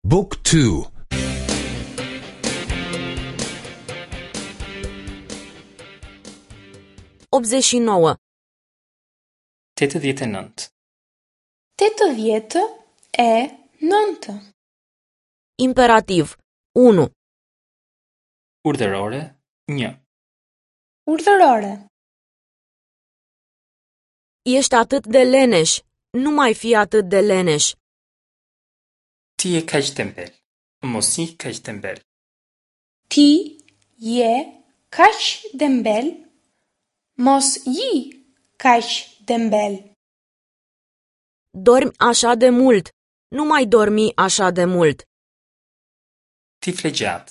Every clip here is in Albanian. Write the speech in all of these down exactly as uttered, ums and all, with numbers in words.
Book two. Optzeci și nouă. Tetëdhjetë e nëntë. Tetëdhjetë e nëntë. Imperativ unu. Urdhërore një. Urdhërore. Ești atât de leneș. Nu mai fi atât de leneș. Ti je kaq tembel. Mos ji kaq tembel. Ti je kaq dembel. Mos ji kaq dembel. Dormi așa de mult. Nu mai dormi așa de mult. Ti fle gjatë.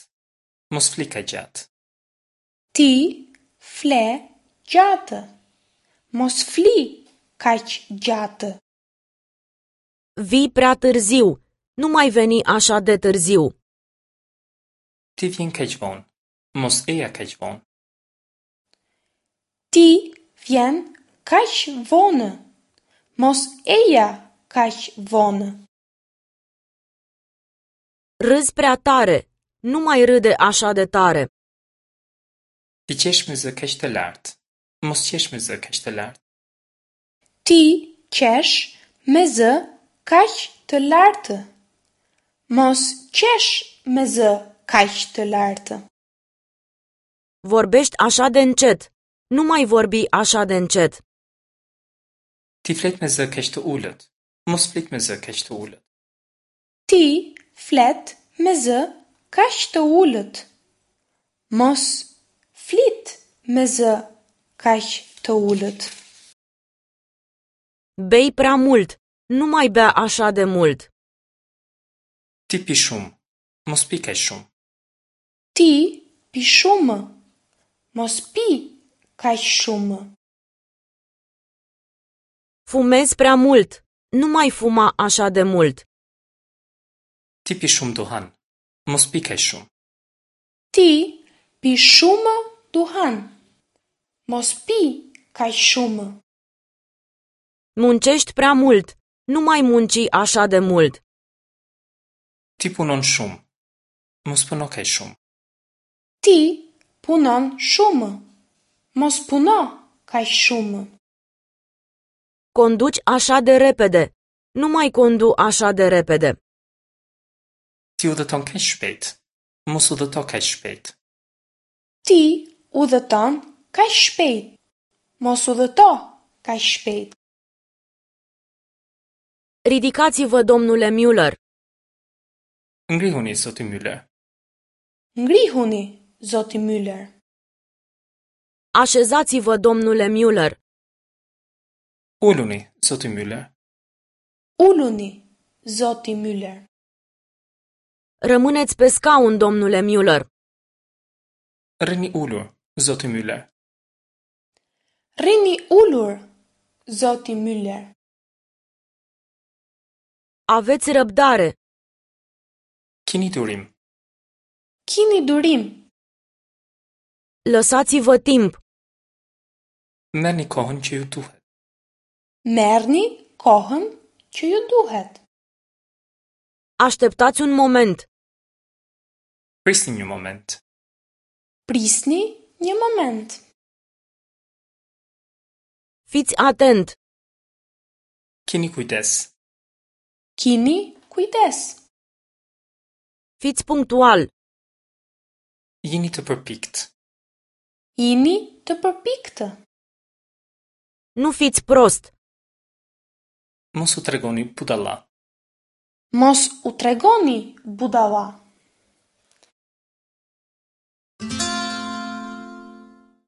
Mos fli kaq gjatë. Ti fle gjatë. Mos fli kaq gjatë. Vii prea târziu. Nu mai veni așa de târziu. Ti vjen kaq vonë. Mos eja kaq vonë. Ti vjen kaq vonë. Mos eja kaq vonë. Râzi prea tare. Nu mai râde așa de tare. Ti qesh me zë kaq të lartë. Mos qesh me zë kaq të lartë. Ti qesh me zë kaq të lartë. Mos qesh me zë kaq të lartë. Vorbești așa de încet. Nu mai vorbi așa de încet. Ti flet me zë kaq të ulët. Mos flit me zë kaq të ulët. Ti flet me zë kaq të ulët. Mos flit me zë kaq të ulët. Bei prea mult. Nu mai bea așa de mult. Ti pi shumë. Mos pi kaq shumë. Ti pi shumë. Mos pi kaq shumë. Fumezi prea mult. Nu mai fuma așa de mult. Ti pi shumë duhan. Mos pi kaq shumë. Ti pi shumë duhan. Mos pi kaq shumë. Muncești prea mult. Nu mai munci așa de mult. Ti punon shumë. Mos puno kaq shumë. Ti punon shumë. Mos puno kaq shumë. Conduci așa de repede. Nu mai condu așa de repede. Ti udhëton kaq shpejt. Mos udhëto kaq shpejt. Ti udhëton kaq shpejt. Mos udhëto kaq shpejt. Ridicați-vă, domnule Müller. Ngrihuni, zoti Müller. Ngrihuni, zoti Müller. Așezați-vă, domnule Müller. Uluni, zoti Müller. Uluni, zoti Müller. Rămâneți pe scaun, domnule Müller. Rrini ulur, zoti Müller. Rrini ulur, zoti Müller. Aveți răbdare. Kini durim. Kini durim. Lăsați-vă timp. Merrni kohën që ju duhet. Merrni kohën që ju duhet. Așteptați un moment. Prisni një moment. Prisni një moment. Fiți atent. Kini kujdes. Kini kujdes. Fiți punctual. Jini të përpikt. Jini të përpiktë. Nu fiți prost. Mos u tregoni budalla. Mos u tregoni budalla.